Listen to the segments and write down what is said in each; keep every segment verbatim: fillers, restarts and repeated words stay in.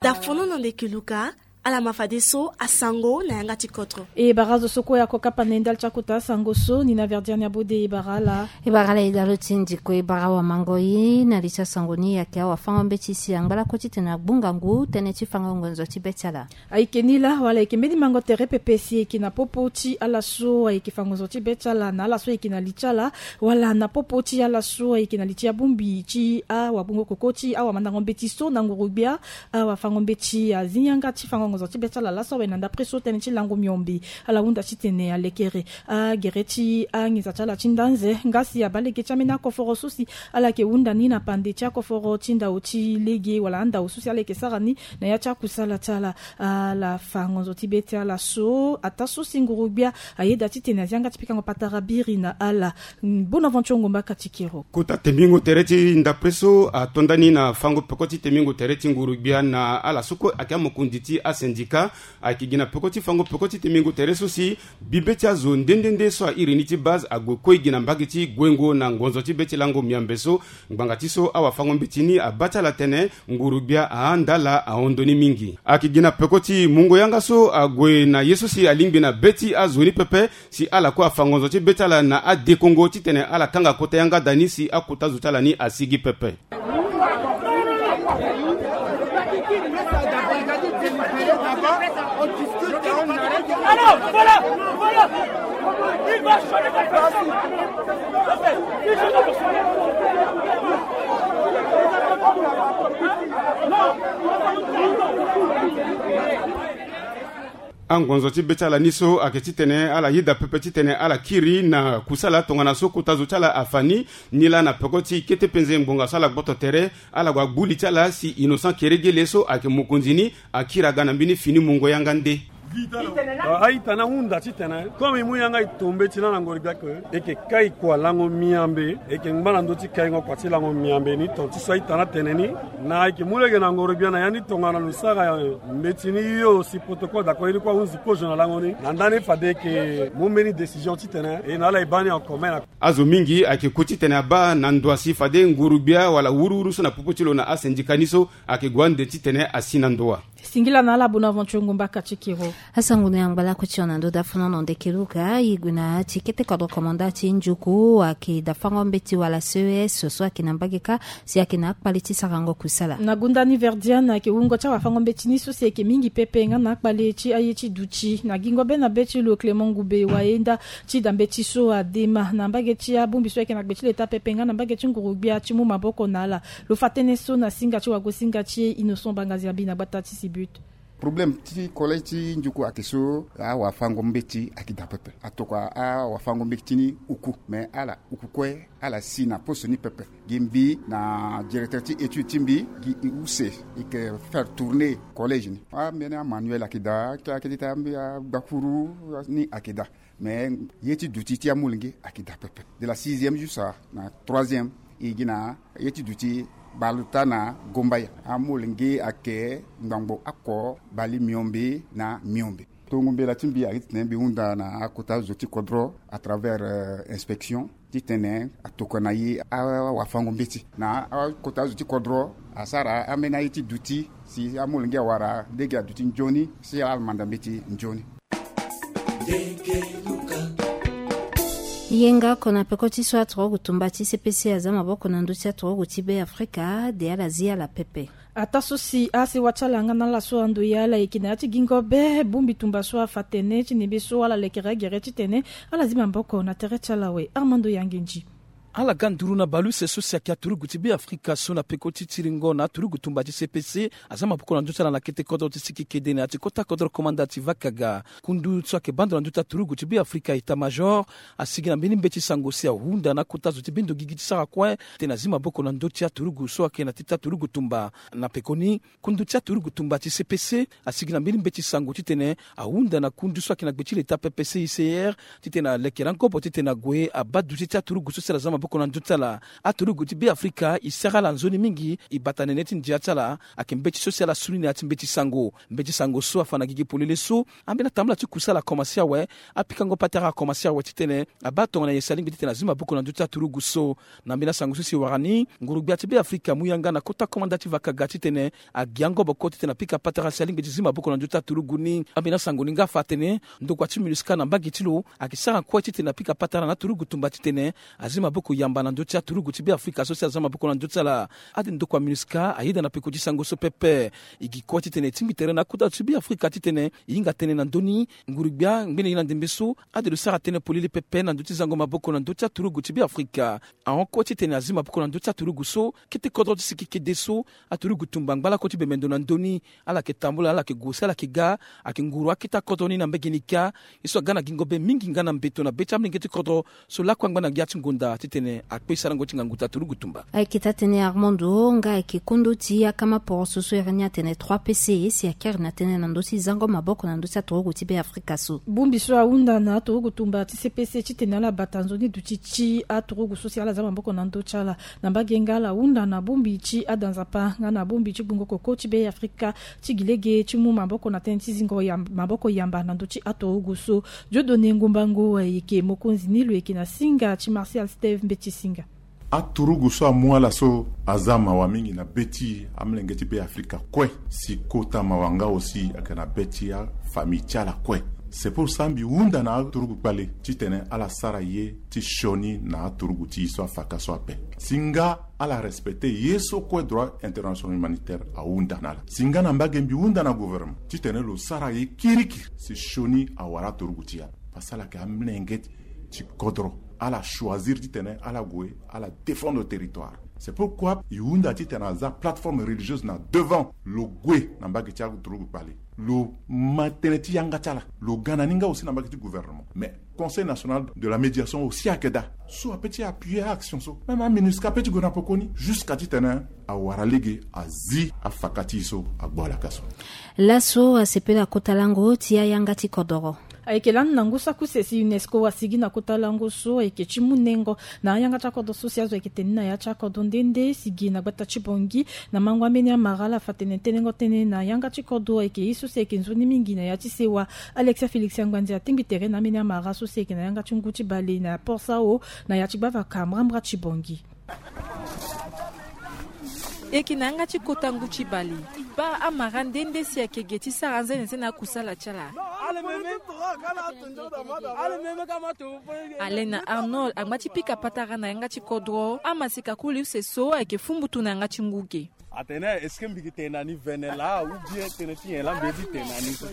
Dafono na ndeke luka. Ala ma fadeso asango na yanga ti kodro. E bara azo so kue ako kapa na ye ndali ti akota asango so ni na verdiane abode e bara ala. E bara ala e dalo ti ndiko e bara awamango ye na li ti asango ni ayeke awafango mbeti si angba lakue titene agbu ngangu tënë ti fango ngonzo ti be ti ala. Ayeke ni laa wala ayeke mbeni mango tere pepe si ayeke na popo ti ala so ayeke fa ngonzo ti be ti ala na ala so ayeke na li ti ala, wala na popo ti ala so ayeke na li ti abongbi ti awagbongo koko ti awamandango mbeti so na nguru-gbia. Awafango mbeti azi yanga ti fango ngonzo ti be ti ala laso awe na ndapre so tënë ti lango miombe. Ala hunda titene alekere agere ti anginza ti ala ti ndanze nga si abaa lege ti ambeni akoforo so si ala yeke hunda ni na pande ti akoforo ti ndao ti lege wala andao so si ala yeke sara ni na ya ti akusala ti ala. Ala fa ngonzo ti be ti ala so ataa so si nguru-gbia ayeda titene azi yanga ti pikango patara biri na ala. Bonaventure Ngomba Katikero. Kota tembingo tere ti ndapre so ato nda ni na fango peko ti tembingo tere ti nguru-gbia na ala so kue ayeke amokonzi ti asindika. Ayeke gi na peko ti fango peko ti tembingo tere so si bibe ti azo nde nde nde so airi ni ti base ague kue gi na mbage ti guengo na ngonzo ti be ti lango miambe so. Ngbanga ti so awafango mbeti ni abaa ti ala tene nguru-gbia ahanda ala ahon ndo ni mingi. Ayeke gi na peko ti mungo yanga so ague na ye so si alingbi na be ti azo ni pepe. Si ala kue afa ngonzo ti be ti ala na adekongo titene ala kanga kota yanga da ni si akota zo ti ala ni asigi pepe. Angonzo ti be ti ala ni so ayeke titene ala yeda pepe titene ala kiri na kusala tongana so kota zo ti ala afa ni. Ni laa na peko ti kete penze ngbonga so ala gboto tere ala gue agbu li ti ala si Innocent Keregele so ayeke mokonzi ni akiri aga na mbeni fini mungo yanga nde. A-ita ni ahunda titene comme e mu yanga e to mbeti na na ngoro gbia ke e yeke kai kua lango miambe. E yeke ngba na ndö ti kaingo kua ti lango miambe ni ton ti so a-ita ni atene ni. Na e yeke mu lege na ngoro gbia na ya ni tongana lo sara mbeti ni yo si protocole d'accord ye ni kue ahunzi kozo na lango ni na ndani fade e yeke mu mbeni décision titene e na ala e baa ni en commun na. Azo mingi ayeke ku titene abaa na ndo asi fade nguru gbia wala wuruwuru so na popo ti lo na asindika ni so ayeke gue ande titene asi na ndo wa. Singila na ala Bonaventure Ngumba Katikiro. Asango ni angba lakue ti hon na ndö dafo na hon na ndeke luka e gue na ya ti kete kodro komanda ti njuku ayeke dafango mbeti wala C E S so ayeke na mbage kâ si ayeke na akpale ti sarango kusala. Na gunda ni Verdiane ayeke wungo ti awafango mbeti ni so si ayeke mingi pepe nga na akpale ti aye ti duti na gingo be na be ti lo Clément Ngube wayenda ti da mbeti so adema na mbage ti abongbi so ayeke na gbe ti leta pepe nga na mbage ti nguru gbia ti mu maboko na ala. Lo fa tënë so na singa ti wagosinga ti e Innocent Bangazi abi na gbata ti Sibut. Problème ti collège ti njuku ayeke so awafango mbeti ayeke daa pepe atokua awafango mbeti ni uku me ala uku kue ala si na poso ni pepe. Gi mbi na directeur ti étude ti mbi gi e use e yeke faire tourner collège ni ambeni amanuel ayeke daa ti ayeke ti taa mbi agbakuru ni ayeke daa. Mais ye ti duti ti amolenge ayeke daa pepe de la sixième jusqu'à na troisième. E gi na ye ti duti baleota na gombaya amolenge ayeke ngbangbo oko bale miombe na miombe. Tongo mbela ti mbi ayeke titene mbi hunda na akota zo ti kodro à travers inspection titene atokua na e awafango mbeti na akota zo ti kodro asara ambeni aye ti duti si amolenge awara lege aduti nzoni si ala manda mbeti nzoni. Yenga oko na peko ti so aturugu tumba ti C P C aza maboko na ndö ti aturugu ti Be Afrika de ala zi ala pepe. Ataa so si asewa ti ala nga na ala so ando ya ala yeke na ya ti gingo be bongbi tumba so afa tene ti nembe so ala lekere agere titene ala zi maboko na tere ti ala awe Armando Yangenji. Ala ga nduru na baleuse so si ayeke aturugu ti Be Afrika so na peko ti tiringo na aturugu tumba ti C P C aza maboko na ndö ti ala na kete kodro ti siki kede na ya ti kota kodro komanda ti Vakaga. Kundu so ayeke bando na ndö ti aturugu ti Be Afrika état major asigi na mbeni mbeti sango si ahunda na akota zo ti bendo gigi ti sara kue titene azi maboko na ndö ti aturugu so ayeke na ti ti aturugu tumba. Na pekoni kundu ti aturugu tumba ti C P C asigi na mbeni mbeti sango titene ahunda na kundu so ayeke na gbe ti leta pepe C I C R titene alekere angobo titene ague abaa duti ti aturugu so si ala za maboko na ndö ti ala. Aturugu ti Beafrika e sara ala nzoni mingi. E bata na nene ti ndia ti ala ayeke mbeti so si ala suni na ya ti mbeti sango. Mbeti sango so afa na gigi polele so ambeni atambula ti kusa ala akomanse awe. Apikango patara akomanse awe titene abaa tongana nyen si alingbi titene azi maboko na ndö ti aturugu so. Na mbeni asango so si e wara ni, nguru-gbia ti Beafrika amu yanga na kota komanda ti vakaga titene agi angoboko titene apika patara si alingbi ti zi maboko na ndö ti aturugu ni. Ambeni asango ni nga afa atene ndokua ti MINUSCA na mbage ti lo ayeke sara kue titene apika patara na aturugu tumba titene azi maboko yamba na ndö ti aturugu ti Beafrika so si aza maboko na ndö ti ala. Ade ndokua MINUSCA ayeda na peko ti sango so pepe. E gi kue titene e tingbi tere na akota ti Beafrika titene e hinga tënë na ndö ni. Nguru-gbia ngbene ye na ndembe so ade lo sara tënë polele pepe na ndö ti zango maboko na ndö ti aturugu ti Beafrika. Ahon kue titene azi maboko na ndö ti aturugu so kete kodro ti siki kede so aturugu tumba ngba lakue ti bembe ndo na ndö ni. Ala yeke tambula, ala yeke gue si ala yeke ga. Ayeke nguru akete akodro ni na mbage ni kâ. Ye so aga na gingo be mingi nga na mbeto na be ti amolenge ti kodro so lakue angba na ya ti ngonda titene akpe sarango ti ngangu ti aturugu tumba. Ayeke taa-tënë Armando nga ayeke kondo ti akama poroso so iri ni atene trois P C si akiri na tënë na ndö ti zango maboko na ndö ti aturugu ti Beafrika so. Bongbi so ahunda na aturugu tumba ti C P C titene ala bata nzoni duti ti aturugu so si ala za maboko na ndö ti ala. Na mbage nga ala hunda na bongbi ti ada nzapa nga na bongbi ti gbungo koko ti Beafrika ti gi lege ti mu maboko na tënë ti zingo yam-, maboko yamba na ndö ti aturugu so. Dieudonné Ngumbangu ayeke mokonzi ni, lo yeke na singa ti Martial Steve Mbeti Singa. Aturugu so amu ala so aza mawa mingi na be ti amolenge ti Beafrika kue, si kota mawa nga aussi ayeke na be ti afamille ti ala kue. C'est pour ça mbi hunda na aturugu kpale titene ala sara ye ti sioni na aturugu ti e so afaka so ape. Si nga ala respecter ye so kue droit international humanitaire ahunda na ala. Si nga na mbage mbi hunda na gouvernement titene lo sara ye kirikiri si sioni awara aturugu ti e ape. Parce que ala yeke amolenge ti kodro, ala choisir titene ala gue ala défendre territoire. C'est pourquoi e hunda titene aza plateforme religieuse na devant, lo gue na mbage ti aturugu kpale, lo ma tënë ti yanga ti ala, lo ga na ni nga aussi na mbage ti gouvernement. Mais Conseil national de la médiation aussi ayeke daa so ape ti appuyer action so. Même MINUSCA ape ti gue na pekoni jusqu'à titene awara lege azi afaka ti e so agbu ala ka so. Laso asepela kota lango ti ayanga ti kodoro. Ayeke lani na ngu saki use si UNESCO asigi na kota lango so ayeke ti mu nengo na ayanga ti akodro so si azo ayeke tene ni na ya ti akodro nde nde si gi na gbata ti Bangui. Na mango ambeni amara ala fa tene tenengo tënë na yanga ti kodro ayeke ye so si ayeke nzoni mingi na ya ti sewa. Alexia Félix Angbandi atingbi tere na ambeni amara so si ayeke na yanga ti ngu ti bale na Port Sao na ya ti gbavaka mbrambra ti Bangui. E yeke na yanga ti kota ngu ti bale. E baa amara nde nde si ayeke ge ti sara anzene nzene akusala ti ala. Alain na Arnold angba ti pika patara na yanga ti kodro. Amaseka koli use so ayeke fumbutu na yanga ti ngu ge. Atene est-ce que mbi yeke tene na ni vene laa ou bien tënë ti nyen laa mbi ye ti tene na ni so?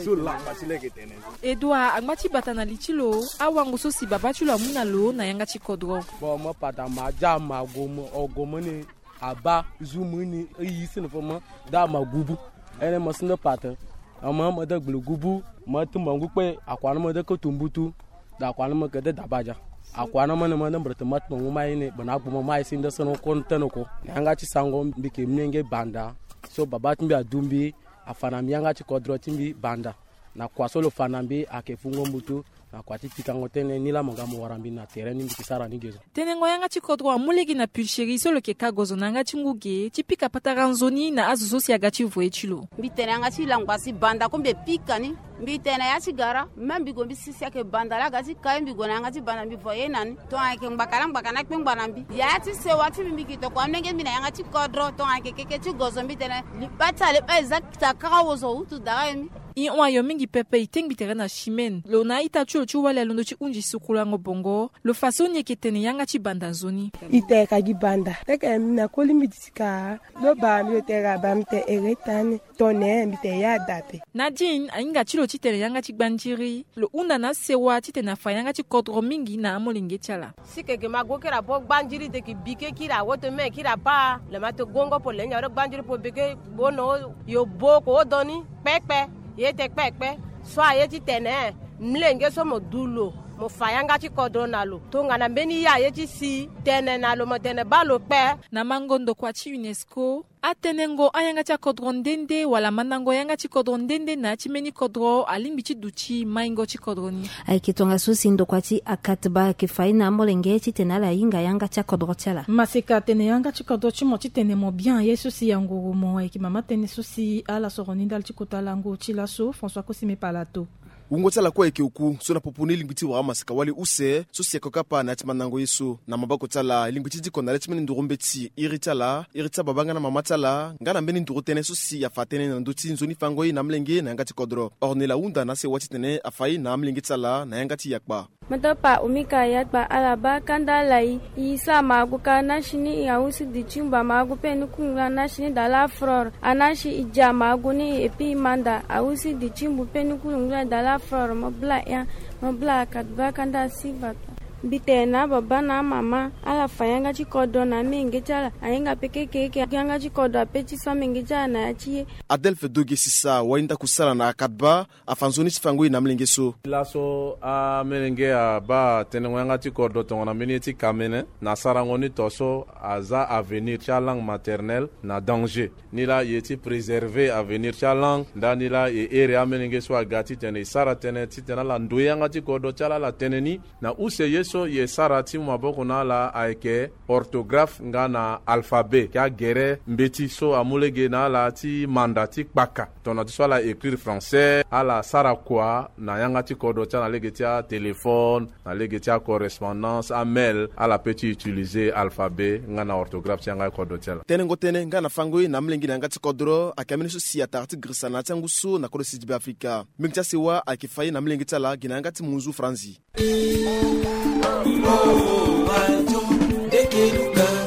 So langba ti lege tene ni. Edouard angba ti bata na li ti lo awango so si babâ ti lo amu na lo na yanga ti kodro. Bon, mo pata ma ja ma gomo o gomo ni. Abaa zu mu ni e yi sini fo mo daa ma gubu. Ene mo sende pate ama mo de gbele gubu. Mo tumba ngu kpe akua na mo de kotu mbutu. Da akua na mo ke de dabaja. Akua na mo ne mo de mbrete mo tumba ngu mai ni bana agbu mo mai sinde sene ko ntene ko. Na yanga ti sango mbi ke menge banda. So babâ ti mbi adu mbi afa na mbi yanga ti kodro ti mbi banda. Na kua so lo fa na mbi ayeke fungo mbutu. Na kua ti pikango tënë ni laa mo ga mo wara mbi na tere ni mbi ke sara ni ge so. Tenengo yanga ti kodro amu lege na pulcherie so lo yeke ka gozo na yanga ti ngu ge ti pika patara nzoni na azo so si aga ti voye ti lo. Mbi tene yanga ti langba si banda ko mbi pika ni. Mbi tene ya ti gara même mbi gue mbi sisi ayeke banda laa aga ti ka ye mbi gue na yanga ti banda mbi voye na ni. Tongana ayeke ngbaka na ngbaka na akpengba na mbi ya ti sewa ti mbi mbi ke tokua mlenge mbi na yanga ti kodro tongana ayeke keke ti gozo mbi tene liba ti ale ba eza kita kara wozo hutu dara ye mbi. E hon ayo mingi pepe e tengbi tere na chimene lo na a-ita ti lo ti wali alondo ti hunzi sukulango bongo. Lo fa so ni eke tene yanga ti banda nzoni. Ita eka gi banda teke na koli mbi ti ka lo ba mbi lo tere aba mbi te ere tani. Tone mbi te ya dape. Nadine ahinga ti lo ti tene yanga ti gbandiri. Lo hunda na asewa titene afa yanga ti kodro mingi na amolenge ti ala. Si keke ma gue kiri abo gbandiri de ki bike kiri awoto me kiri apa. Le ma to gongo po lengi aro gbandiri po beke bono yo bo ko odoni kpekpe. Ye te kpekpe so aye ti tene mlenge so mo du lo. Mo fa yanga ti kodro na lo tongana mbeni ye aye ti si tene na lo mo tene baa lo kpe. Na mango ndokua ti UNESCO, atenengo ayanga ti akodro nde nde wala mandango yanga ti kodro nde nde na ya ti mbeni kodro alingbi ti duti maingo ti kodro ni. Ayeke tongaso si ndokua ti akatba ayeke fa ye na amolenge titene ala hinga yanga ti akodro ti ala. Maseka atene yanga ti kodro ti mo titene mo bien aye so si anguru mo ayeke mama tënë so si ala soro ni ndali ti kota lango ti laso François Kosime Palato. Wungo ti ala kue ayeke oku so na popo ni lingbi ti wara maseka wali use so si ayeke kapa na ya ti mandango ye so. Na maboko ti ala e lingbi ti diko na le ti mbeni nduru mbeti iri ti ala, iri ti ababa nga na mama ti ala nga na mbeni nduru tënë so si afa tënë na ndö ti nzoni fango ye na amolenge na yanga ti kodro. Ornela ahunda na asewa titene afa ye na amolenge ti ala na yanga ti yakpa. Moto pa umika yakpa ala baa kanda ala i. I sara magu ka na si ni i awusi di ti mba magu pe ni kungula na si ni dala fror. A na si i ja magu ni epi i manda awusi di ti mbu pe ni kungula dala fror mo bla ya. Mo bla akatba kanda si bata. Mbi tene na baba na mama ala fa yanga ti kodro na amenge ti ala. Ahinga pe kekeke yanga ti kodro ape ti so amenge ti ala na ya ti ye. Adelphe Doge Sisa wali ndako sara na akatba afa nzoni ti fango ye na amolenge so. Laso amolenge abaa tenengo yanga ti kodro tongana mbeni ye ti kamene na sarango ni to so aza avenir ti alangue maternelle na danger. Ni laa e ye ti préserver avenir ti alangue ndani laa e here amolenge so aga titene e sara tënë titene ala ndoye yanga ti kodro ti ala ala tene ni. Na use ye so e sara ti mu maboko na ala ayeke orthographe nga na alphabet ke agere mbeti so amu lege na ala ti manda ti kpaka. Tongana ti so ala écrire français ala sara kua na yanga ti kodro ti ala na lege ti atéléphone, na lege ti acorrespondance, amail, ala pe ti utiliser alphabet nga na orthographe ti yanga ti kodro ti ala. Tenengo tënë nga na fango ye na amolenge na yanga ti kodro ayeke ambeni so si atara ti girisa na ya ti angu so na kodro sidi be afrika. Mbenge ti asewa ayeke fa ye na amolenge ti ala gi na yanga ti munzu franzi.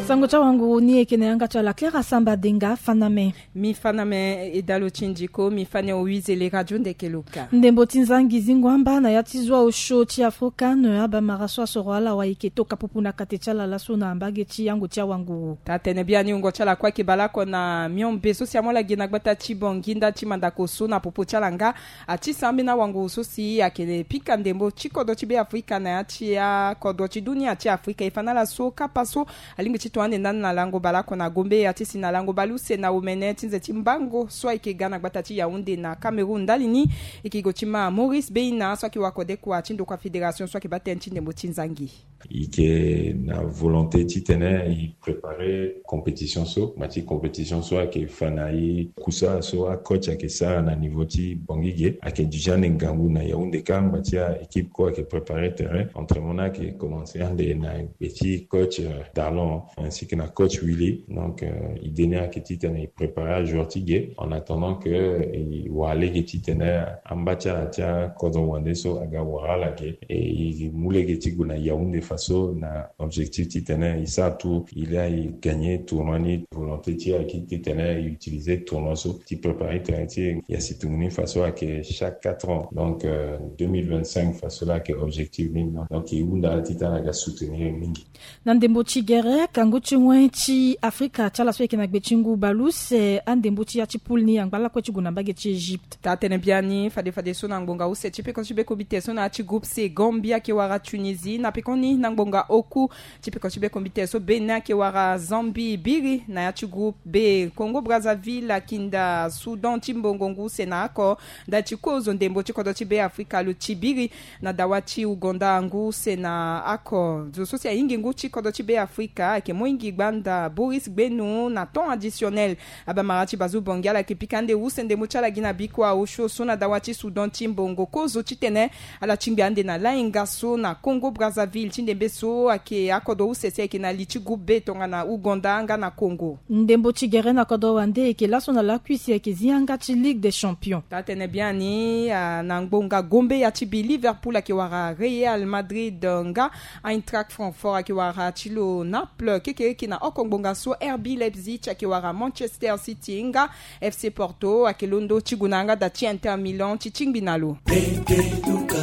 Sango ti awanguru ni eke na yanga ti ala Clara Samba Denga. Faname. Mi faname e dalo ti ndiko mi fane owize le radio ndeke loka. Ndembo ti nzangi zingo amba na ya ti zwa osio ti afrika na abamara so asoro ala wa eke toka pupu na kate ti ala laso na mbage ti yango ti awanguru. Taa tene biani wungo ti ala kue eke baleoko na miombe so si amu ala gi na gbata ti bongi nda ti mandako so na popo ti ala nga. Ati sambi na wanguru so si ayeke pika ndembo ti kodro ti be afrika na ya ti akodro ti dunia ti afrika e fa na ala so kapa so alingbi ti to ande ndani na lango baleoko na gombe ati si na lango baleuse na omene ti nze ti mbango so ayeke ga na gbata ti yaounde na cameroun ndali ni. Eke go ti ma maurice beina so ayeke wa kodekua ti ndokua fédération so ayeke baa tënë ti ndembo ti nzangi. I ke na volonté titene i préparer compétition so ma ti compétition so ayeke fa na i kusa so acoach ayeke sara na niveau ti bongi ge ayeke déjà ne ngangu na yaounde ka ngba ti a équipe ko ayeke préparer terrain entraînement ni ayeke commencer ande na gbe ti coach dalon ainsi que na coach willy donc idée ni ayeke titene i préparer ajoueur ti ge en attendant que i wara lege titene amba ti ala ti akodro wande so aga wara ala ge. E i mu lege ti gue na yaounde faso na objectif titene i sara tout il a i gagner tournoi ni volonté ti e ayeke titene i utiliser tournoi so ti préparer terrain ti e ya si tongoni faso ayeke chaque quatre ans donc deux mille vingt-cinq faso la ayeke objectif ni donc i hunda ala titene aga soutenir mingi. Na ndembo ti gere kangu ti wen ti afrika ti ala so ayeke na gbe ti ngu baluse andembo ti ya ti poule ni angba lakue ti gue na mbage ti egypte. Taa tene biani fade fade so na ngbonga use ti peko ti be kombite so na ya ti groupe c gambie ayeke wara tunisie na pekoni na ngbonga oku ti peko ti be kombite so bénin ayeke wara zambie biri na ya ti groupe b congo brazzaville akinda soudan ti mbongo ngu use na oko ndali ti kozo ndembo ti kodro ti be afrika lo ti biri na dawa ti ugonda ngu use na oko zo so si ahingi ngu ti kodro ti be afrika ayeke mohingi gbanda boris gbenu na temps additionnel. Abamara ti bazu bongi ala yeke pika nde use ndembo ti ala gi na bikua osio so na dawa ti soudan ti mbongo kozo titene ala tingbi ande na lahinga so na congo brazzaville ti ndembe so ayeke akodro use si ayeke na li ti groupe b tongana ouganda nga na congo. Ndembo ti gere na kodro wande ayeke laso na lakui si ayeke zi yanga ti ligue des champions. Taa tene biani na ngbonga gombe ya ti bi liverpool ayeke wara real madrid nga eintracht francfort ayeke wara ti lo naples kekereke na oko ngbonga so rb leipzig ayeke wara manchester city nga fc porto ayeke londo ti gue na yanga da ti inter milan ti tingbi na lo. Pete luka